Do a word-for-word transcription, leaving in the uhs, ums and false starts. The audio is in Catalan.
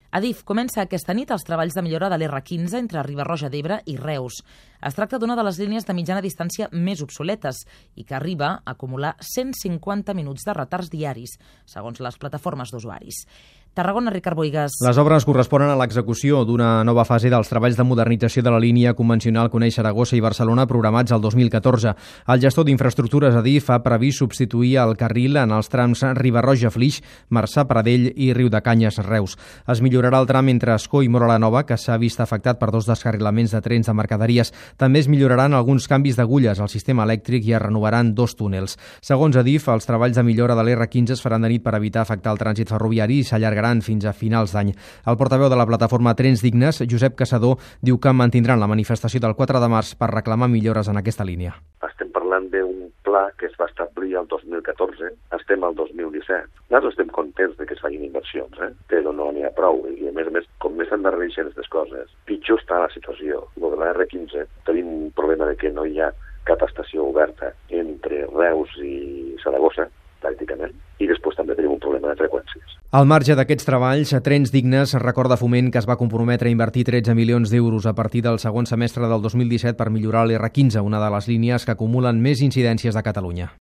Adif comença aquesta nit els treballs de millora de l'erre quinze entre Riba-roja d'Ebre i Reus. Es tracta d'una de les línies de mitjana distància més obsoletes i que arriba a acumular cent cinquanta minuts de retards diaris, segons les plataformes d'usuaris. Tarragona, Ricard Boigas. Les obres corresponen a l'execució d'una nova fase dels treballs de modernització de la línia convencional Coneix-Saragossa i Barcelona programats el dos mil catorze. El gestor d'infraestructures Adif ha previst substituir el carril en els trams Riba-roja-Flix, Marçà-Pradell i Riudecanyes-Reus. Es millorarà el tram entre Ascó i Móra la Nova, que s'ha vist afectat per dos descarrilaments de trens de mercaderies. També es milloraran alguns canvis d'agulles al sistema elèctric i es renovaran dos túnels. Segons Adif, els treballs de millora de l'erre quinze es faran de nit per evitar afectar el trànsit ferroviari i s'allargaran fins a finals d'any. El portaveu de la plataforma Trens Dignes, Josep Caçador, diu que mantindran la manifestació del quatre de març per reclamar millores en aquesta línia. Estem parlant d'un pla que es va establir el dos mil catorze, estem al dos mil disset. Nosaltres estem contents de que es facin inversions, eh? però no n'hi ha prou. I a més a més, com més s'endarrereixen aquestes coses, pitjor està la situació. El de l'erre quinze tenim un problema de que no hi ha cap estació oberta entre Reus i Saragossa, pràcticament, i després també tenim un problema de freqüències. Al marge d'aquests treballs, Trens Dignes recorda Foment que es va comprometre a invertir tretze milions d'euros a partir del segon semestre del dos mil disset per millorar l'erre quinze, una de les línies que acumulen més incidències de Catalunya.